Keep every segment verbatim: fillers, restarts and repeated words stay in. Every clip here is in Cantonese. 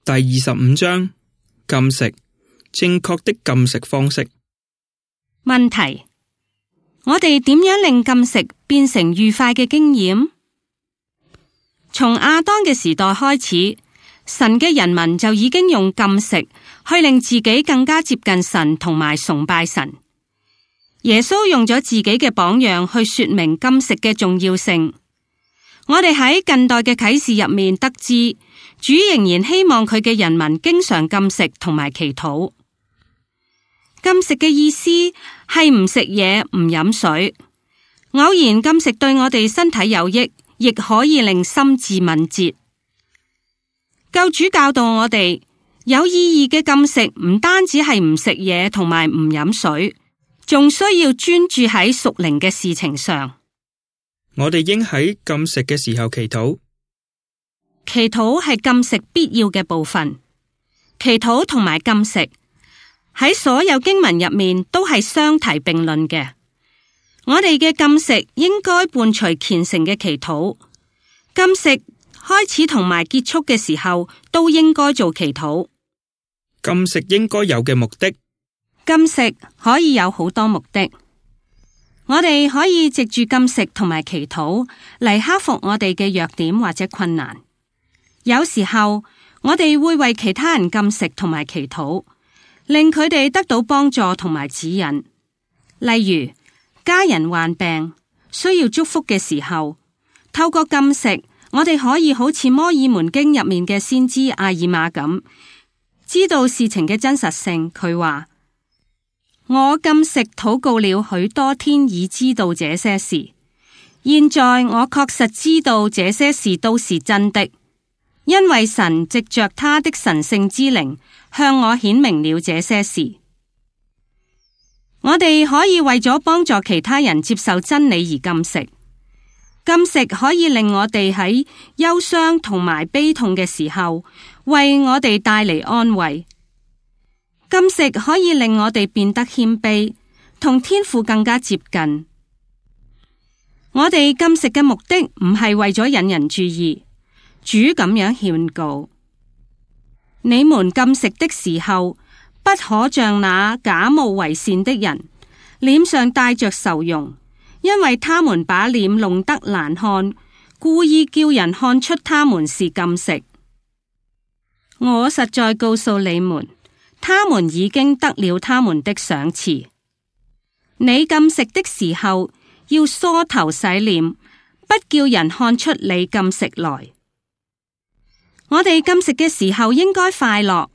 第二十五章，禁食，正確的禁食方式。問題：我哋點樣令禁食變成愉快嘅經驗？從亞當嘅時代開始，神嘅人民就已經用禁食去令自己更加接近神同埋崇拜神。耶穌用咗自己嘅榜樣去說明禁食嘅重要性。我哋喺近代嘅啟示入面得知，主仍然希望佢嘅人民經常禁食同埋祈禱。禁食嘅意思係唔食嘢、唔飲水。偶然禁食對我哋身體有益，亦可以令心智敏捷。救主教導我哋，有意義嘅禁食唔單止係唔食嘢同埋唔飲水，仲需要專注喺屬靈嘅事情上。我哋應喺禁食嘅時候祈禱。祈禱係禁食必要嘅部分。祈禱同埋禁食喺所有經文入面都係相提並論嘅。我哋嘅禁食應該伴隨虔誠嘅祈禱。禁食開始同埋結束嘅時候都應該做祈禱。禁食應該有嘅目的。禁食可以有好多目的。我哋可以藉住禁食同埋祈禱嚟克服我哋嘅弱點或者困難。有時候我哋會為其他人禁食同埋祈禱，令佢哋得到幫助同埋指引。例如家人患病需要祝福嘅時候，透過禁食，我哋可以好似摩爾門經入面嘅先知阿爾瑪咁，知道事情嘅真實性。佢話：我禁食禱告了許多天，已知道這些事。現在我確實知道這些事都是真的，因為神藉着他的神聖之靈向我顯明了這些事。我哋可以為咗幫助其他人接受真理而禁食。禁食可以令我哋喺憂傷同埋悲痛嘅時候，為我哋帶嚟安慰。禁食可以令我哋變得謙卑，同天父更加接近。我哋禁食嘅目的唔係為咗引人注意。主咁樣勸告：你們禁食的時候，不可像那假冒為善的人，臉上帶着愁容，因為他們把臉弄得難看，故意叫人看出他們是禁食。我實在告訴你們，他們已經得了他們的賞賜。你禁食的時候，要梳頭洗臉，不叫人看出你禁食來。我哋禁食嘅時候應該快樂，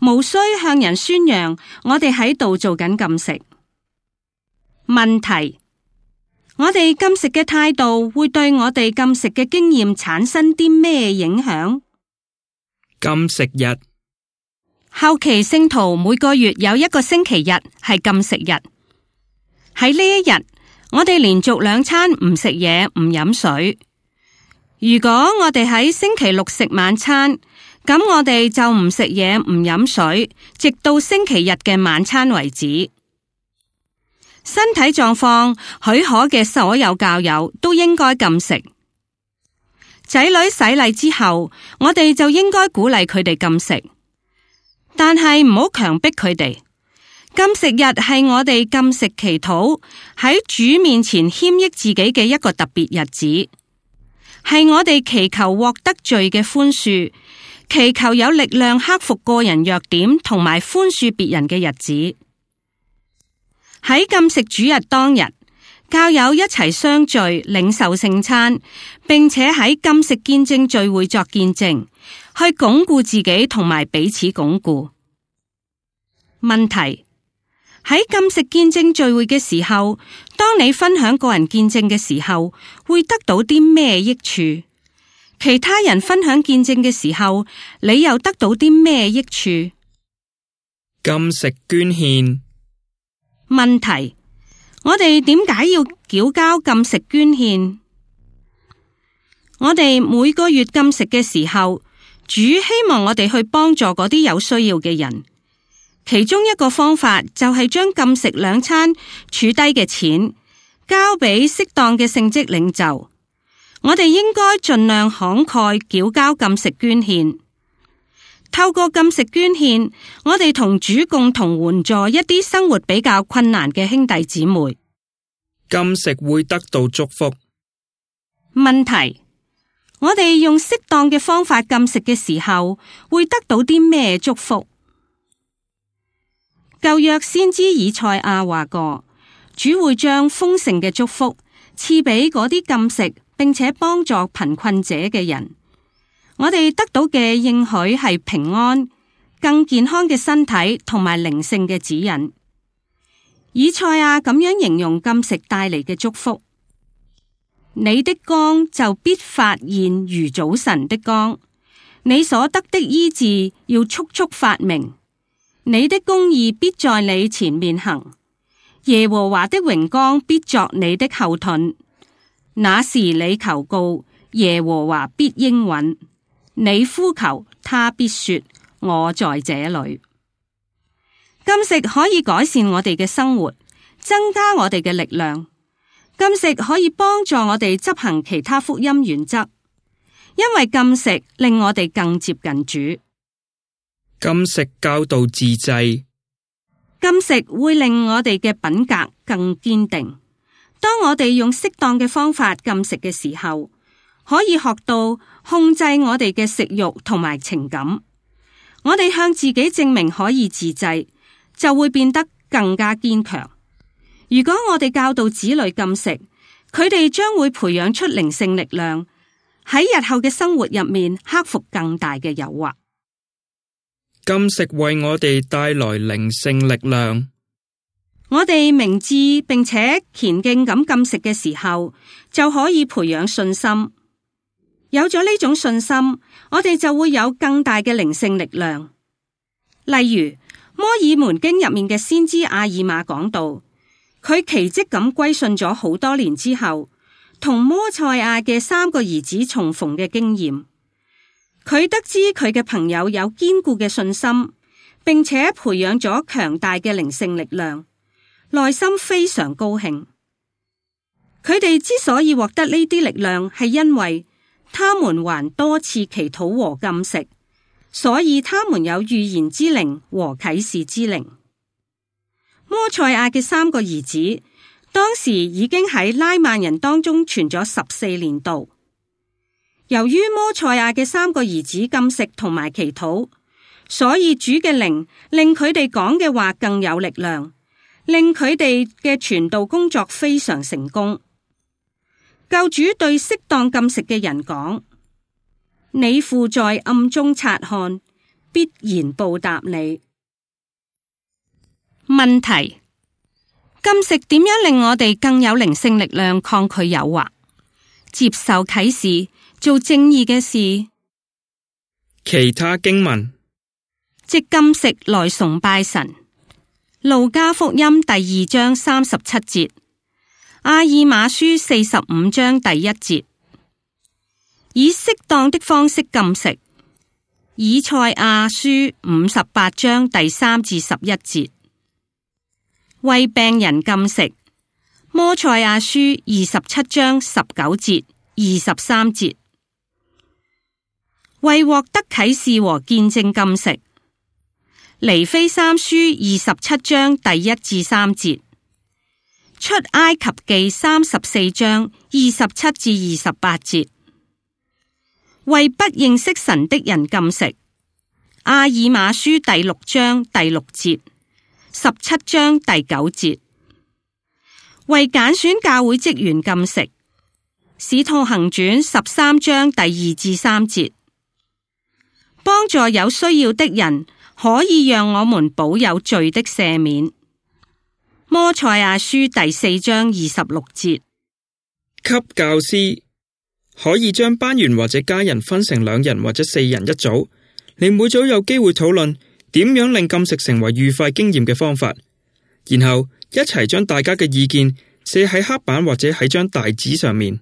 無需向人宣揚我哋喺度做緊禁食。問題：我哋禁食嘅態度會對我哋禁食嘅經驗產生啲咩影響？禁食日。後期聖徒每個月有一個星期日係禁食日。喺呢一日，我哋連續兩餐唔食嘢唔飲水。如果我哋喺星期六食晚餐，咁我哋就唔食嘢唔飲水，直到星期日嘅晚餐為止。身體狀況許可嘅所有教友都應該禁食。仔女洗禮之後，我哋就應該鼓勵佢哋禁食，但係唔好強迫佢哋。禁食日係我哋禁食祈禱，喺主面前謙抑自己嘅一個特別日子。係我哋祈求獲得罪嘅寬恕，祈求有力量克服個人弱點同埋寬恕別人嘅日子。喺禁食主日當日，教友一齊相聚領受聖餐，並且喺禁食見證聚會作見證，去鞏固自己同埋彼此鞏固。問題：喺禁食見證聚會嘅時候，當你分享個人見證嘅時候，會得到啲咩益處？其他人分享見證嘅時候，你又得到啲咩益處？禁食捐獻。問題：我哋點解要繳交禁食捐獻？我哋每個月禁食嘅時候，主希望我哋去幫助嗰啲有需要嘅人。其中一個方法就係將禁食兩餐儲低嘅錢交俾適當嘅聖職領袖。我哋應該盡量慷慨繳交禁食捐獻。透過禁食捐獻，我哋同主共同援助一啲生活比較困難嘅兄弟姊妹。禁食會得到祝福。問題：我哋用適當嘅方法禁食嘅時候，會得到啲咩祝福？舊約先知以賽亞話過，主會將豐盛嘅祝福賜俾嗰啲禁食並且幫助貧困者嘅人。我哋得到嘅應許係平安、更健康嘅身體同埋靈性嘅指引。以賽亞咁樣形容禁食帶嚟嘅祝福：你的光就必發現如早晨的光，你所得的醫治要速速發明，你的公義必在你前面行，耶和華的榮光必作你的後盾。那時你求告，耶和華必應允。你呼求，他必說：我在這裏。禁食可以改善我哋嘅生活，增加我哋嘅力量。禁食可以幫助我哋執行其他福音原則，因為禁食令我哋更接近主。禁食教導自制。禁食會令我哋嘅品格更堅定。當我哋用適當嘅方法禁食嘅時候，可以學到控制我哋嘅食慾同埋情感。我哋向自己證明可以自制，就會變得更加堅強。如果我哋教導子女禁食，佢哋將會培養出靈性力量，喺日後嘅生活入面克服更大嘅誘惑。禁食為我哋帶來靈性力量。我哋明智並且虔敬咁禁食嘅時候，就可以培養信心。有咗呢種信心，我哋就會有更大嘅靈性力量。例如，摩爾門經入面嘅先知阿爾瑪講到，佢奇蹟咁歸信咗好多年之後，同摩賽亞嘅三個兒子重逢嘅經驗。佢得知佢嘅朋友有堅固嘅信心，並且培養咗強大嘅靈性力量，內心非常高興。佢哋之所以獲得呢啲力量，係因為他們還多次祈禱和禁食，所以他們有預言之靈和啟示之靈。摩賽亞嘅三個兒子當時已經喺拉曼人當中傳咗十四年度。由於摩賽亞嘅三個兒子禁食同埋祈禱，所以主嘅靈令佢哋講嘅話更有力量，令佢哋嘅傳道工作非常成功。救主對適當禁食嘅人講：你父在暗中察看，必然報答你。問題：禁食點樣令我哋更有靈性力量抗拒誘惑，接受啟示，做正義嘅事？其他經文：藉禁食來崇拜神。路加福音第二章三十七節。阿爾瑪書四十五章第一節，以適當的方式禁食。以賽亞書五十八章第三至十一節，為病人禁食。摩賽亞書二十七章十九節、二十三節，為獲得啟示和見證禁食。尼非三書二十七章第一至三節。出埃及記三十四章二十七至二十八節，為不認識神的人禁食。阿爾瑪書第六章第六節，十七章第九節，為揀選教會職員禁食。使徒行傳十三章第二至三節，幫助有需要的人，可以讓我們保有罪的赦免。摩賽亞書第四章二十六節，給教師可以將班員或者家人分成兩人或者四人一組，你每組有機會討論點樣令禁食成為愉快經驗嘅方法，然後一齊將大家嘅意見寫喺黑板或者喺張大紙上面。